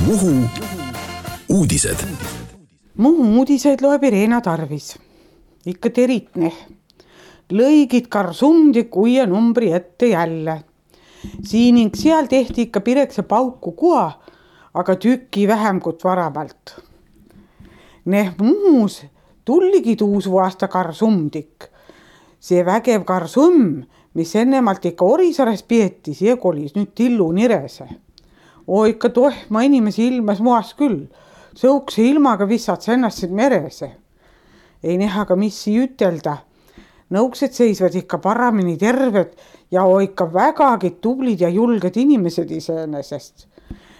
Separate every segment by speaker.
Speaker 1: Muhu uudised.
Speaker 2: Muhu uudised loeb Irena Tarvis. Ikka teritne. Lõigid karsumdik uie numbri ette jälle. Siin ning seal tehti ikka pirekse pauku kua, aga tükki vähem kui varamalt. Muhus tulligi tuusu aasta karsumdik. See vägev karsum, mis ennemalt ikka Orisares peeti, see kolis nüüd Tillu Nirese. Ikka tohma inimesi ilmes muas küll. Sõukse ilmaga vissad ennast merese. Ei näha, missi ütelda. Nõuksed seisvad ikka paramini terved ja ikka vägagi tublid ja julged inimesed iseenesest.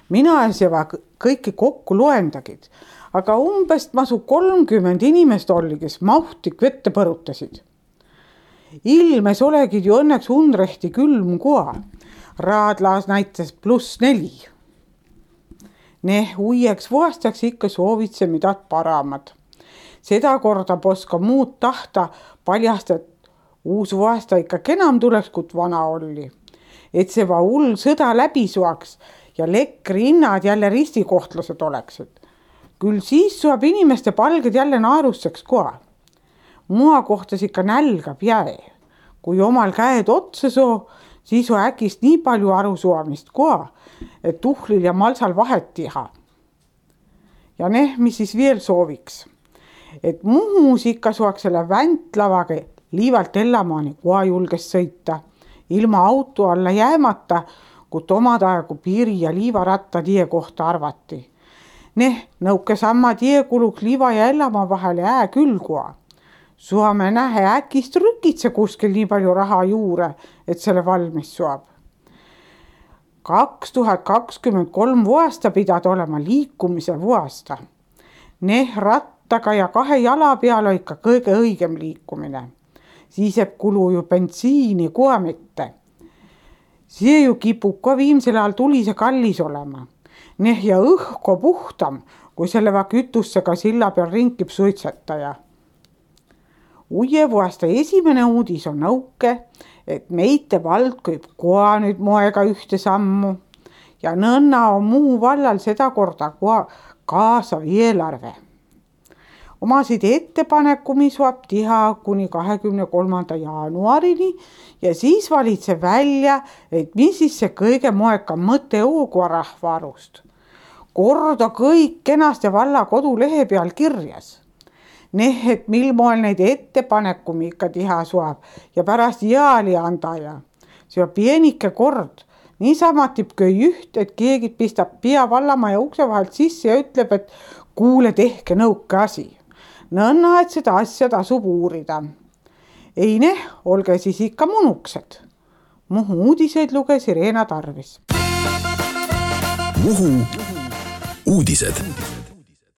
Speaker 2: Mina ei seva kõiki kokku loendagid, aga umbes masu 30 inimest oli, kes mahtik vette põrutasid. Ilmes olegid ju õnneks undrehti külm kua. Raadlaas näitas +4. Uieks vuastaks ikka soovitse midagi paramad. Seda korda poska muud tahta paljast, et uus vuasta ikka kenam tuleks, kui vana oli. Et see hull sõda läbi suaks ja lekkri hinnad jälle ristikohtlased oleksid. Küll siis suab inimeste palged jälle naerusseks koha. Mua kohtas ikka nälgab jäe. Kui omal käed otsa soo, siis on äkist nii palju arusuamist koha, et tuhlil ja malsal vahet tiha. Ja mis siis veel sooviks? Et Muhus ikka suaks selle väntlavaga liivalt Ellamaani koha julges sõita, ilma auto alla jäämata, kui omad aegu piiri ja liivaratta tie kohta arvati. Nõuke samma tie kuluks liiva ja Ellamaa vahele küll koha. Suame nähe äkist rükitse kuskil nii palju raha juure, et selle valmis suab. 2023 vuasta pidad olema liikumise vuasta. Rattaga ja 2 jala peal on ikka kõige õigem liikumine. Siis jääb kulu ju bensiini koha mitte. See ju kipub ka viimsel ajal tulise kallis olema. Ja õhko puhtam, kui selle kütussega silla peal ringib suitsetaja. Uie vuasta esimene uudis on nõuke, et meite vald kõib koha nüüd moega ühte sammu ja nõnna on Muhu vallal seda korda koha kaasav eelarve. Omasid ettepaneku, mis suab tiha kuni 23. jaanuarini ja siis valitseb välja, et mis siis see kõige moekam mõte oogua rahvaarust. Korda kõik kenasti valla kodulehe peal kirjas. Et mil moel neid ettepaneku ikka tiha suab ja pärast jaali andaja. See on pienike kord. Niisama tib köi üht, et keegi pistab pea vallamaja ukse vahelt sisse ja ütleb, et kuule tehke nõuke asi. Nõnna, et seda asja tasub uurida. Ei olge siis ikka munuksed. Muhu uudiseid luges Irena Tarvis.
Speaker 1: Muhu uudised.